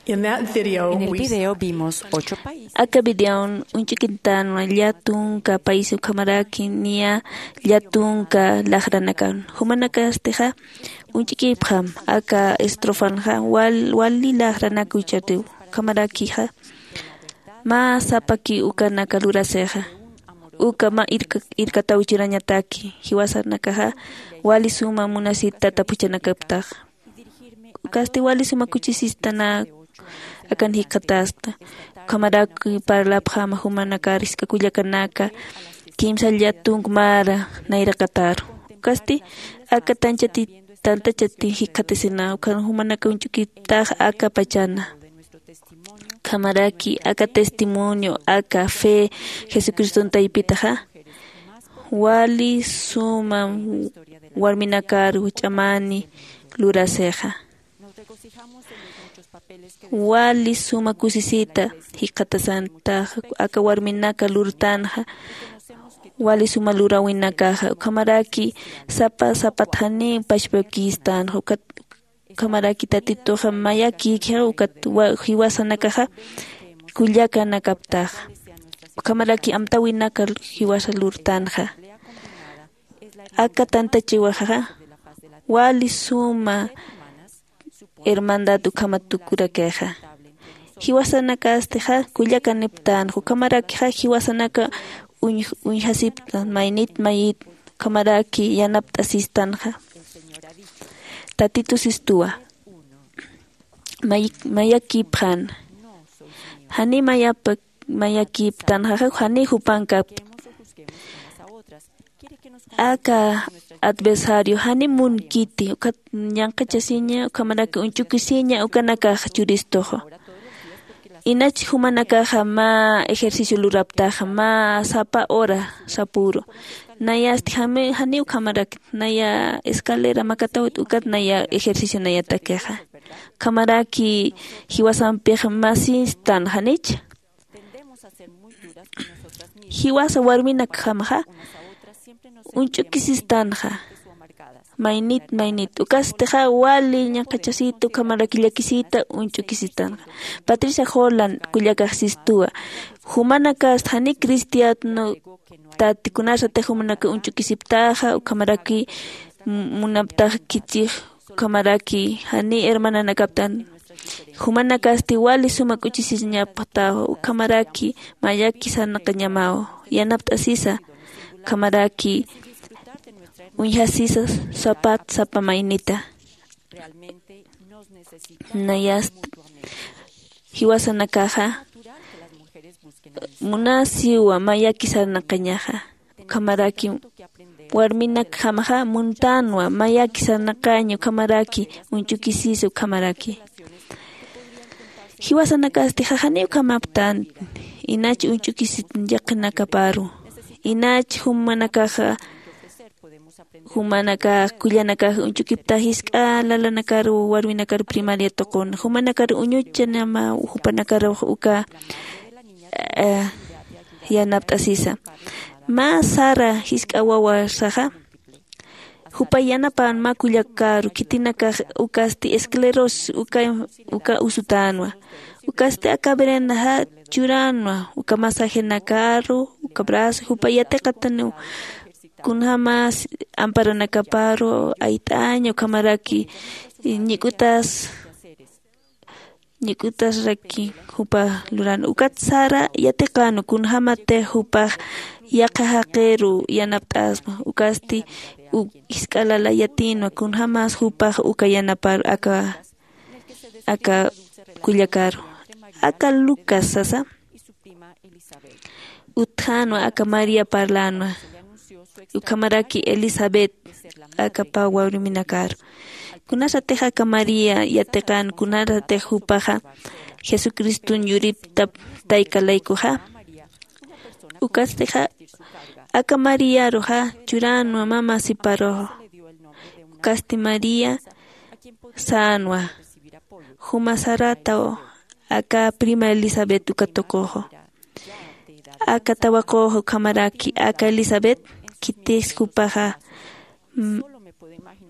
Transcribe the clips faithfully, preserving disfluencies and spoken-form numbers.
En el video vimos ocho países. Aka videon uñch'ukitänwa llätunka país ukhamaraki niya llätunka laxranakan. Jumanakastixa uñch'ukipxam aka estrofanxa wal wali laxranak uchatiw. Ukhamarakixa mä sapaki ukanaka lurasixa uka mä irkataw churañataki jiwasanakaxa wali suma munasita tata phuchhanakaptaxa. Ukasti wali suma kuchisistanaka akan jikxatasta. Ukhamaraki parlapxama jumanakar jisk'a kullakanaka kimsa llätunk mara nayraqataru. Ukasti aka tanchati tantachati jikxatasina ukhan jumanaka uñch'ukiptax aka pachana. Ukhamaraki aka testimonio aka fe jesucriston taypitaxa wali suma warminakar ch'amani lurasixa. Wali suma kusisita jikxatasantaxa aka warminaka lurtanxa wali suma luräwinakaxa ukhamaraki sapa sapat janiw pachpakistanxa. Ukhamaraki tatituxa mayakïkxa ukat jiwasanakaxa kullakanakaptaxa. Ukhamaraki amtäwinaka jiwasa lurtanxa. Aka tantachiwaxaxa wali suma hermandad ukhamat tukurakixa. Jiwasanakastixa kullakaniptanxa ukhamarakixa jiwasanaka uñjasiptan maynit mayit ukhamaraki yanapt'asistanxa. Tatitu sistuwa mayakipxan jani mayapa mayakiptanxaxa jani jupankapta. Aka adversario jani munkiti ukat ñanqachasiña ukhamaraki uñch'ukisiña ukanakax churistuxu. Inach jumanakaxa mä ejercicio luraptaxa mä sapa hora sapuru. Nayasti jami jani ukhamarakit naya escalera makatawit ukat naya ejercicio nayatakixa. Ukhamaraki jiwasampix masistan janich jiwasa warminakjamaxa uñch'ukisistanxa. Maynit maynit ukastixa wali ñaqachasita ukhamaraki llakisita uñch'ukisistanxa. Patricia jolan kullakaxsistuwa jumanakasta jani cristiano tati kunasatix jumanaka uñch'ukisiptaxa ukhamaraki munaptax khichix ukhamaraki jani hermananakaptan. Jumanakasti wali suma k'uchisiñapxtaw ukhamaraki mayaki sarnaqañamaw yanapt'asisa ukhamaraki uñjasisa sapat sapa maynita. Nayast jiwasanakaxa munasiwa mayaki sarnaqañaxa ukhamaraki warminakjamaxa muntanwa mayaki sarnaqaña ukhamaraki uñch'ukisisa ukhamaraki. Jiwasanakasti jajani ukhamaptan inach uñch'ukisit llaqinakaparu inach jumanakaxa jumanakax kullanakax uñch'ukipta jisk'a lalanakar warminakar primaria tuqun jumanakar uñuchanama jupanakarux uka yanapt'asisa. Mä sara jisk'a wawasaxa jupa yanapan mä kullakaru khitinakax ukasti esclerosis uka usutänwa. Ukasti aka verendaxa churänwa uka masajenakaru uka brazo jupa yatiqataniw kunjämas amparanakaparu ayt'aña ukhamaraki ñik'utas ñik'utasraki jupa luran ukat sara yatiqänwa kunjämatix jupax yaqha jaqiru yanapt'asma ukasti jisk'a lala yatïnwa kunjämas jupax uka yanapar aka aka kullakaru aka lucas sasa utjänwa aka maría parlänwa ukhamaraki elisabet aka pä warminakaru. Kunasatix aka maría yatiqän kunasatix jupaxa jesucriston yuriptap tayka laykuxa ukastixa aka mariaruxa churänwa mä masiparuxa. Ukasti maría sänwa juma sarataw aka prima elisabet uka tuquxu aka tawaqux ukhamaraki aka elisabet khitis jupaxa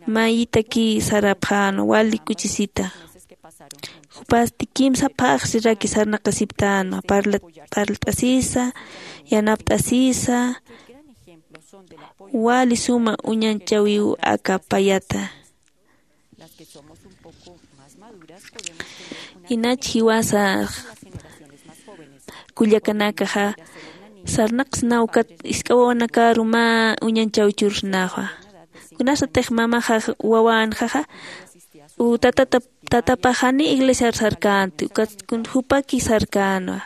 mayitaki sarapxänwa wali k'uchisita. Jupasti kimsa phaxsiraki sarnaqasiptänwa, parla- parlt'asisa, yanapt'asisa, wali suma uñanchäwiw aka payata. Inach jiwasa kullakanakaxa sarnaqsnaw ukat jisk'a wawanakaru mä uñanchäw churxnaxa. Kunasatix mamaxa wawänxaxa u tatata tatapax janiw iglesiar sarkänti ukat jupaki sarkänwa.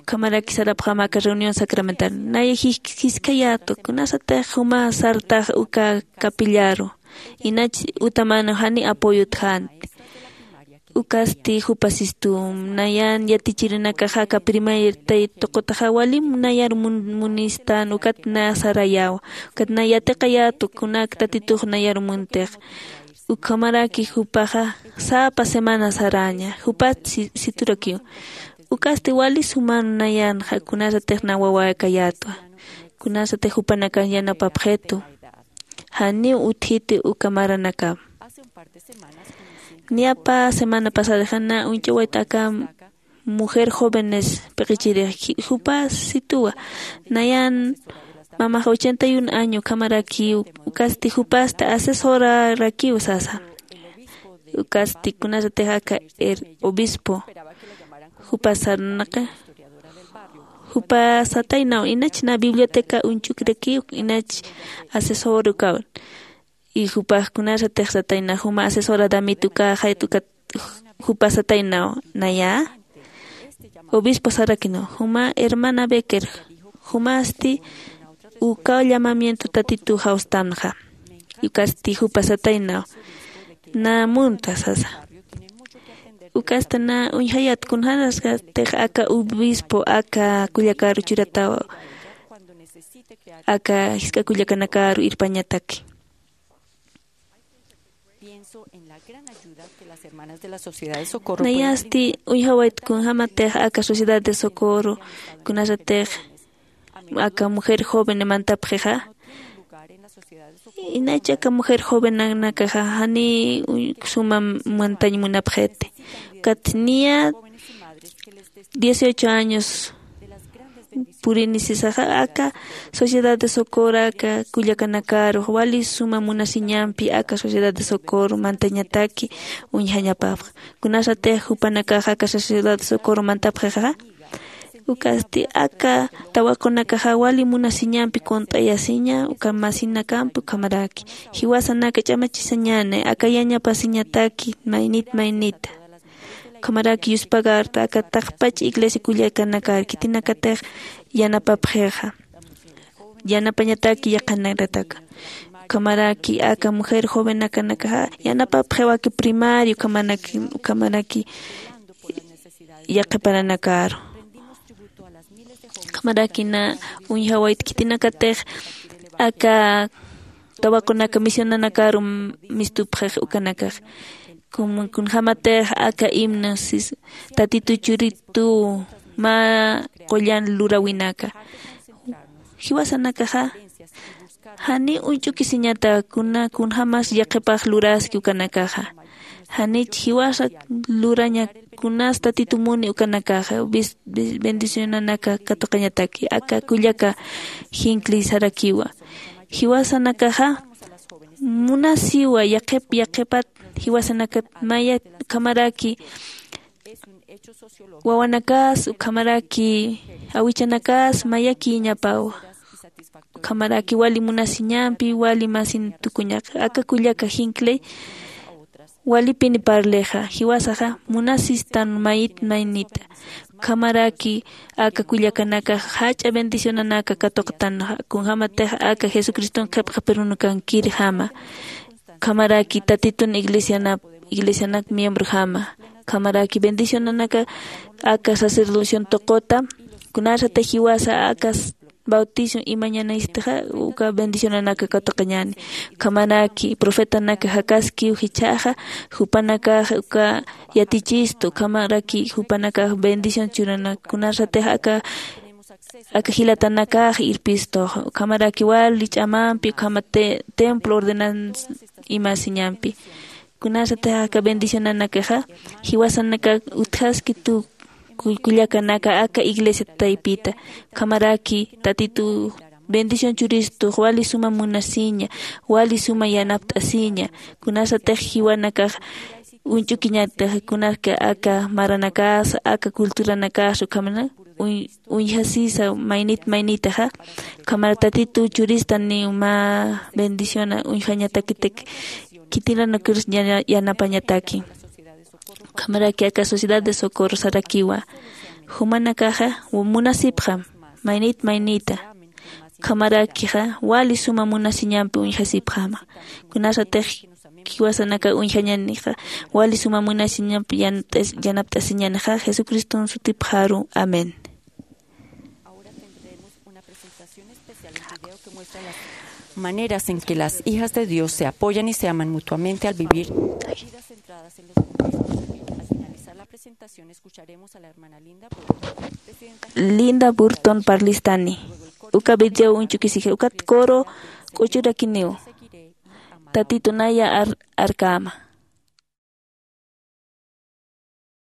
Ukhamaraki sarapxäma aka reunión sacramental naya jisk'ayätwa kunasatix juma sartax uka capillaru. Inach utamänaw janiw apoyotxänti. Ukasti jupa sistum nayan yatichirinakaxa aka primer taytuqutaxa walim nayar munistan ukat na sarayäwa. Ukat na yatiqayätwa kunak tatitux nayar muntix. Ukhamaraki jupaxa sapa semana saräña jupat siturakiw. Ukasti wali suman nayanxa kunasatix na wawäkayätwa. Kunasatix jupanakan yanapapxitu. Janiw utjiti uka maranakam. Niyapa semana pasadaxa na uñch'awayt aka mujer jóvenes p'iqichirix jupa situwa. Nayan mamaxa ochenta y un año ukhamarakiw. Ukasti jupasta asesorarakiw sasa. Ukasti kunasatix aka obispo jupa sarnaqi jupa sataynaw inach na biblioteca uñch'ukirakiw inach asesor ukawan. Y jupax kunasatix sataynaw juma asesora damit ukaxayt ukat jupa sataynaw naya obispo sarakinaw juma hermana becker jumasti ukaw llamamiento tatitu jawstanxa. Ukasti jupa sataynaw na munta sasa. Ukasta na uñjayät kunjänasatix aka obispo aka kullakaru churataw aka jisk'a kullakanakaru irpañataki. Nayasti uñjawayt kunjämatix aka sociedad de socorro kunasatix aka mujer joven mantapxixa. Inach aka mujer jovenanakaxa janiw suma mantañ munapxiti. Ukat niya dieciocho años purini sisaxa aka sociedad de socorro aka kullakanakaru wali suma munasiñampi aka sociedad de socorro mantañataki uñjañapapxa. Kunasatix jupanakaxa aka sociedad de socorro mantapxixa ukasti aka tawaqunakaxa wali munasiñampi kunt'ayasiña uka masinakampi ukhamaraki jiwasanaka ch'amachisañäni aka yañapasiñataki maynit maynita. Ukhamaraki yuspagarta aka taqpach iglesia kullakanakar khitinakatix yanapapxixa yanapañataki yaqhanakataka. Ukhamaraki aka mujer jovenakanakaxa yanapapxiwaki primario ukhamaraki yaqhiparanakaru. Ukhamaraki na uñjawayt khitinakatix aka tawaqunaka misionanakaru mistupxix ukanakax. Kunjämatix aka himno sis tatitu churitu mä qullan luräwinaka jiwasanakaxa janiw uñch'ukisiñata kuna kunjämas yaqhipax luraski ukanakaxa. Janich jiwasa luraña kunas tatitu muni ukanakaxa bendicionanaka katuqañataki aka kullaka jinkli sarakiwa. Jiwasanakaxa munasiwa yaqhip yaqhipat jiwasanakat mayat ukhamaraki wawanakas ukhamaraki awichanakas mayakïñapawa. Ukhamaraki wali munasiñampi wali masin tukuñaqa aka kullaka jinklay walipini parlixa jiwasaxa munasistan mayit maynita. Ukhamaraki aka kullakanakax jach'a bendicionanaka katuqtanxa kunjämatix aka jesucriston qhipqa perunukankirjama. Ukhamaraki tatitun iglesianap iglesianak miembrojama ukhamaraki bendicionanaka aka sacerdocion tuquta kunasatix jiwasa aka bautizo imañanaystixa uka bendicionanaka katuqañäni. Ukhamaraki profetanaka jakaskiw jichhaxa jupanakax uka yatichistu ukhamaraki jupanakax bendición churana kunasatix aka aka jilatanakax irpistu ukhamaraki wali ch'amampi ukhama templo ordenanza imasiñampi. Kunasatix aka bendicionanakaxa jiwasanaka utjaski tu kullakanaka aka iglesia taypita. Ukhamaraki tatitu bendición churistux wali suma munasiña, wali suma yanapt'asiña. Kunasatix jiwanakax uñch'ukiñatix kunaka aka maranakasa aka culturanakasa ukhamana uñjasisa maynit maynitaxa. Ukhamara tatitu churistaniw mä bendiciona uñjañatakitik khitinanukirs yanapañataki. Ukhamaraki aka sociedad de socorro sarakiwa jumanakaxa munasipxam maynit maynita. Ukhamarakixa wali suma munasiñampi uñjasipxama. Kunasatix jiwasanaka uñjañanixa wali suma munasiñampi yanapt'asiñanixa jesucriston sutipxaru. Amén. Ahora tendremos una presentación especial en video que muestra las maneras en que las hijas de Dios se apoyan y se aman mutuamente al vivir vidas centradas en los demás. Al finalizar la presentación escucharemos a la hermana Linda Burton, presidenta Linda Burton parlistani. Uka video uñch'ukisiji ukat coro k'uchurakiniw. Tatitunaya arkama.